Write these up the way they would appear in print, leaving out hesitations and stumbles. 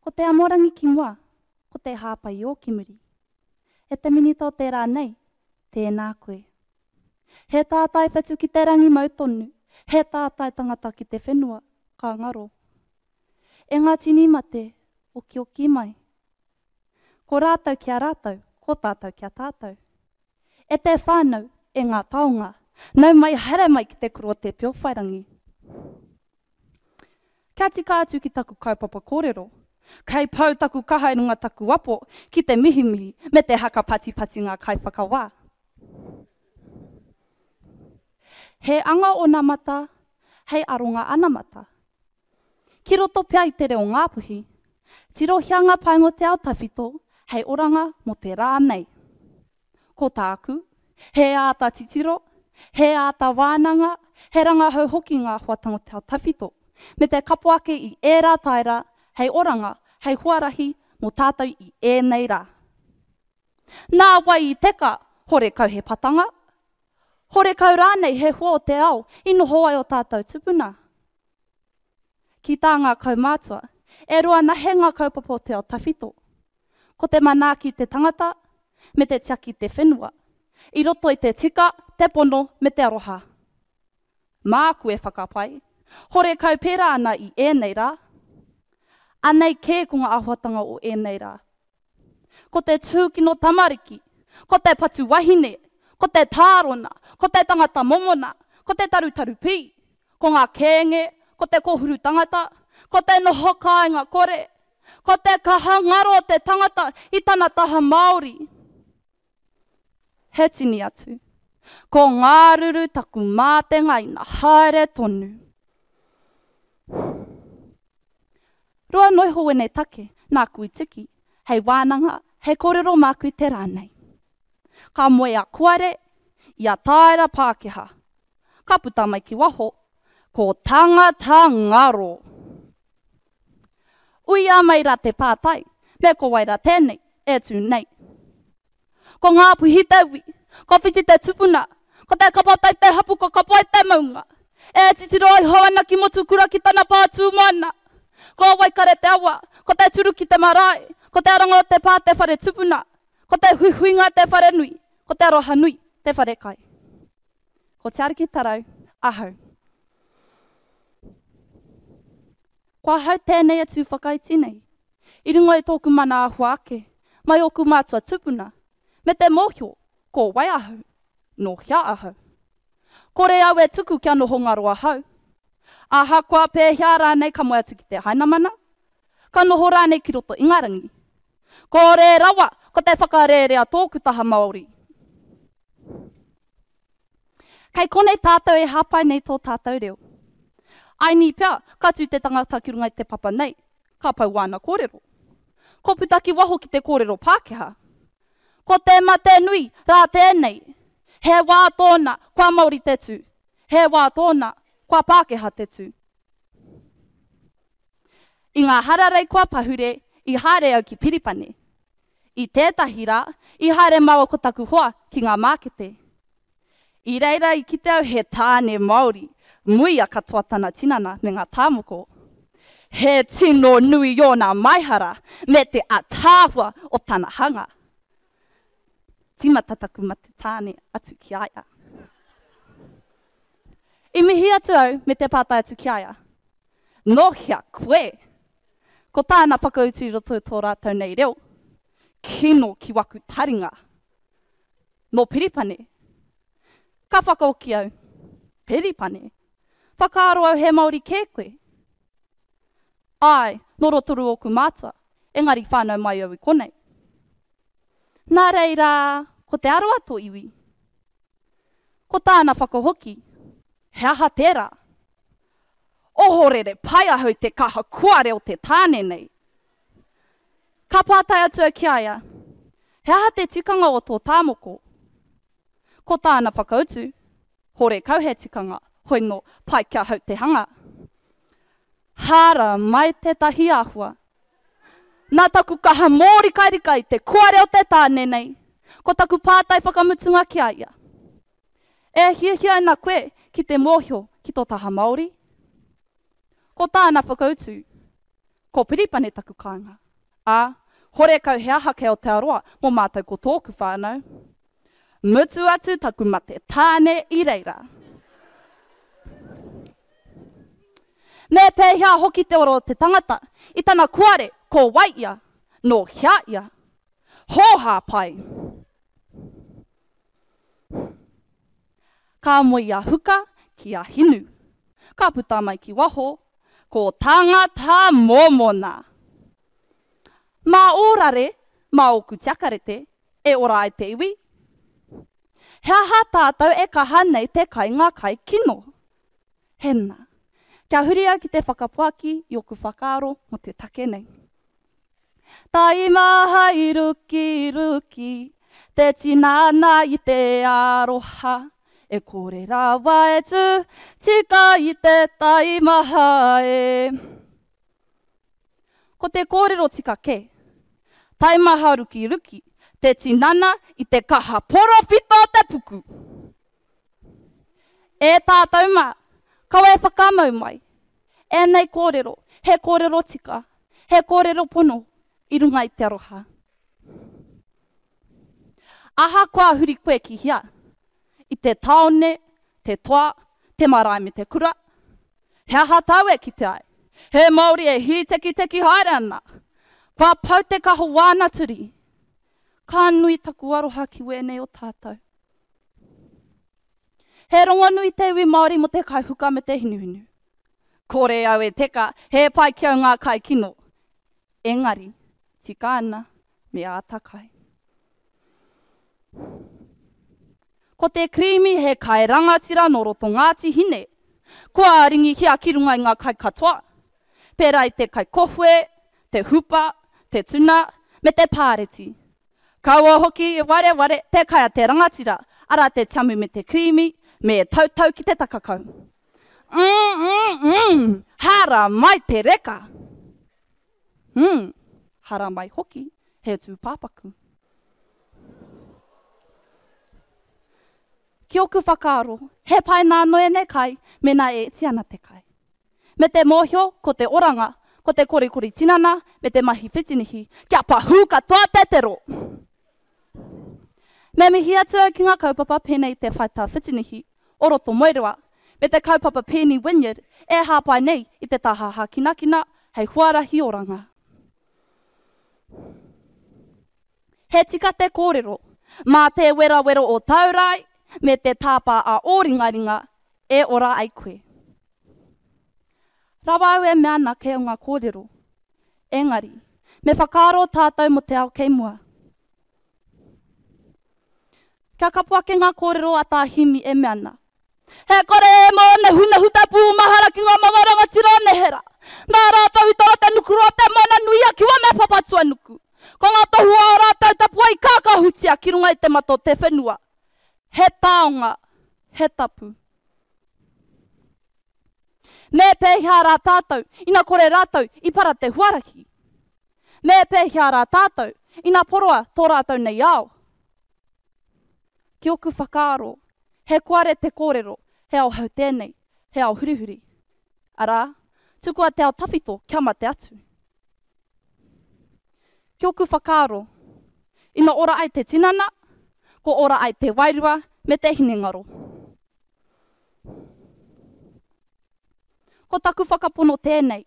Ko te amorangi ki mua, ko te hāpai ō ki muri. E te minita o te rā nei, tēnā koe. He tātai whetu ki te rangi mau tonu, he tātai tangata ki te whenua, ka ngaro. E ngā tini mate, okioki mai. Ko rātou ki a rātou, ko tātou ki a tātou. E te whānau, e ngā taonga, nau mai haere mai ki te kura o Te Piowhairangi. Kia tika atu ki taku kaupapa kōrero. Kei pau taku kaha i runga taku apo ki te mihimihi me te haka patipati ngā kaiwhakawā. He anga onamata hei aronga anamata. Ki roto pea i te reo Ngāpuhi, tirohia ngā painga o te ao tawhito hei oranga mō te rā nei. Ko tāku, he āta titiro, he āta wānanga, he rangahau hoki ngā hoatanga o te ao tawhito, me te kapo ake i ērā taera hei oranga, hei huarahi mō tātou i ēnei rā. Nā wai i teka, horekau he patanga? Horekau rānei he hua o te ao i noho ai o tātou tupuna? Ki tā ngā kaumātua, e roa nahe ngā kaupapa o te ao tawhito. Ko te manaaki i te tangata, me te tiaki i te whenua, i roto i te tika, te pono me te aroha. Māku e whakapae, horekau pērā ana i ēnei rā. Anei kē ko ngā āhuatanga o ēnei rā. Ko te tūkino tamariki, ko te patu wahine, ko te tārona, ko te tangata momona, ko te tarutaru pī, ko ngā kēnge, ko te kōhuru tangata, ko te noho kāinga kore, ko te kaha ngaro o te tangata i tana taha Māori. He tini atu. Ko Ngāruru taku mātenga ina haere tonu. Roa noiho wēnei take, nāku i tiki, hei wānanga, hei kōrero māku i te rā nei. Ka moe a Kuare i a Tāera Pākehā. Ka puta mai ki waho, ko Tangata Ngaro! Uia mai rā te pātai, me ko wai rā tēnei e tū nei? Ko Ngāpuhi te iwi, ko Whiti te tupuna, ko Te Kapotai te hapu, ko Kapoi te maunga. E titiro iho ana ki Motukura ki tana pā tū moana. Ko Waikare te awa, ko Te Turuki te marae, ko Te Aranga o te Pā te whare tupuna, ko Te Huihuinga te wharenui, ko Te Arohanui te wharekai. Ko Te Ariki Tarau ahau. Ko ahau tēnei e tū whakaiti nei, i runga i tōku mana āhua ake, mai ōku mātua tupuna, me te mōhio ko wai ahau, nō hea ahau. Kore au e tuku kia noho ngaro ahau. Ahakoa pēhea rānei ka moe atu ki te Hainamana, ka noho rānei ki roto Ingarangi. Kore rawa ko te whakarērea tōku taha Māori. Kei konei tātou e hāpai nei tō tātou reo. Aini pea, ka tū te tangata ki runga i te papa nei, ka pau wāna kōrero. Ko puta ki waho ki te kōrero Pākehā. Ko te mate nui rā tēnei. He wā tōna, kua Māori te tū. He wā tōna, kua Pākehā te tū. I ngā hararei kua pahure, i haere au ki Piripane. I tētahi rā, i haere māua ko taku hoa ki ngā mākete. I reira i kite au he tāne Māori, muia katoa tana tinana me ngā tāmoko. He tino nui ōna maihara me te ataahua o tana hanga. Tīmata taku mate tāne atu ki a ia. I mihi atu au me te pātai atu ki a ia, Nō hea koe? Ko tāna whakautu i roto i tō rātou nei reo, Kino ki waku taringa. Nō Piripane. Ka whakaoki au, Piripane? Whakaaro au he Māori kē koe. Āe, nō Rotorua ōku mātua, engari whānau mai au i konei. Nā reira, ko Te Arawa tō iwi? Ko tāna whakahoki, He aha tērā? Ohorere pai ahau te kaha kuare o te tāne nei. Ka pātai atu au ki a ia, He aha te tikanga o tō tāmoko? Ko tāna whakautu, Horekau he tikanga, hoi nō, pai ki ahau te hanga. Hara mai tētahi āhua. Nā taku kaha mōrikarika i te kuare o te tāne nei, ko taku pātai whakamutunga ki a ia, E hiahia ana koe ki te mōhio ki tō taha Māori? Ko tāna whakautu, Ko Piripane taku kāinga. Ā, horekau he aha kei Aotearoa mō mātou ko tōku whānau. Mutu atu taku mate tāne i reira. Me pēhea hoki te ora o te tangata i tana kuare ko wai ia, nō hea ia? Hōhā pai! Ka moe a Huka ki a Hinu. Ka puta mai ki waho, ko Tangata Mōmona! Mā ō rare, mā ōku tiakarete, e ora ai te iwi? He aha tātou e kaha nei te kai ngā kai kino? Hena. Kia huri au ki te whakapuaki i oku whakaaro mo te take nei. Taimaha i rukiruki te tinana i te aroha e kore rawa e tu tika i te taimaha e. Ko te kōrero tika kē. Taimaha rukiruki te tinana i te kaha porowhita o te puku. E tātou mā, kaua e whakamau mai. Ēnei kōrero, he kōrero tika, he kōrero pono i runga i te aroha. Ahakoa huri koe ki hea, i te tāone, te toa, te marae me te kura, he aha tāu e kite ai? He Māori e hītekiteki haere ana. Kua pau te kaho wāna turi. Ka nui taku aroha ki wēnei o tātou. He rongonui te iwi Māori mō te kai huka me te hinuhinu. Kore au e teka, he pai ki au ngā kai kino. Engari, tika ana, me āta kai. Ko te kirīmi he kai rangatira nō roto Ngāti Hine. Kua ringihia ki runga i ngā kai katoa, pērā i te kai kohue, te hupa, te tuna, me te pāreti. Kaua hoki e wareware te kai a te rangatira, arā te tiamu me te kirīmi, me tautau ki te takakau. Mm, mm, mm, hara mai te reka! Mm, hara mai hoki he tūpāpaku. Ki oku whakaaro, he pai nā noene kai mēnā e iti ana te kai. Me te mōhio ko te oranga, ko te korikori tinana me te mahi whitinihi, kia pahū katoa te tero! Me mihi atu au ki ngā kaupapa pēnei i te Whaitā Whitinihi o roto Moerewa me te kaupapa Pēni Wynyard e hāpai nei i te taha hākinakina hei huarahi oranga. He tika te kōrero, mā te werawero o tāu rae me te tāpā a ō ringaringa e ora ai koe. Rawa au e mea ana kei au ngā kōrero. Engari, me whakaaro tātou mō te ao kei mua. Kia kapo ake ngā kōrero a Tā Himi e mea ana, He kore e mōnehunehu te pūmahara ki ngā mama rangatira o nehera. Nā rātou i toro te nukuroa te moana nui a Kiwa me Papatuanuku. Ko ngā tohu o ā rātou tapuae i kākahutia ki runga i te mata o te whenua. He taonga, he tapu. Me pēhea rā tātou ina kore rātou i para te huarahi? Me pēhea rā tātou ina poroa tō rātou nei ao? Ki oku whakaaro, he koare te kōrero, he ao hou tēnei, he ao hurihuri. Arā, tukua te ao tawhito kia mate atu. Ki oku whakaaro, ina ora ai te tinana, ko ora ai te wairua me te hinengaro. Ko taku whakapono tēnei.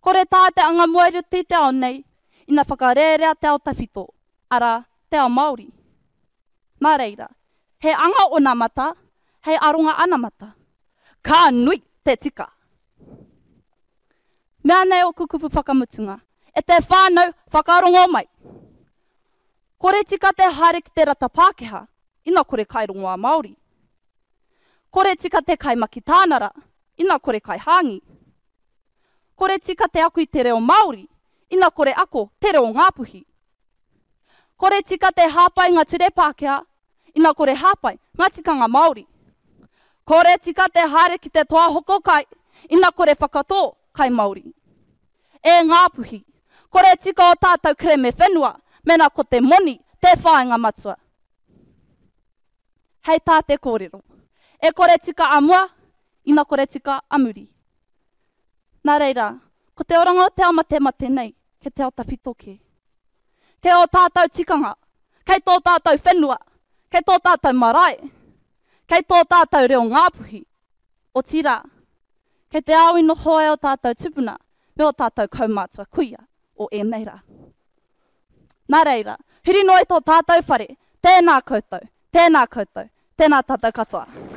Kore tā te anga moeruti te ao nei, ina whakarērea te ao tawhito, arā, te ao Māori. Nā reira, he anga onamata hei aronga anamata. Ka nui te tika! Mea nei ōku kupu whakamutunga, e te whānau whakarongo mai! Kore tika te haere ki te rata Pākehā, ina kore kai rongoā Māori. Kore tika te kai makitānara, ina kore kai hāngi. Kore tika te ako i te reo Māori, ina kore ako te reo Ngāpuhi. Kore tika te hāpai ngā ture Pākehā, ina kore hāpai ngā tikanga Māori. Kore tika te haere ki te toa hoko kai, ina kore whakatō kai Māori. E Ngāpuhi, kore tika o tātou kereme whenua, mēnā ko te moni te whāinga matua. Hei tā te kōrero, e kore tika a mua, ina kore tika a muri. Nā reira, Ko te oranga o te ao matemate nei, kei te ao tawhito kē. Kei ō tātou tikanga, kei tō tātou whenua, kei tō tātou marae, kei tō tātou reo Ngāpuhi, otirā, kei te ao i noho ai ō tātou tupuna me ō tātou kaumātua kuia o ēnei rā. Nā reira, huri noa i tō tātou whare, tēnā koutou, tēnā koutou, tēnā tātou katoa.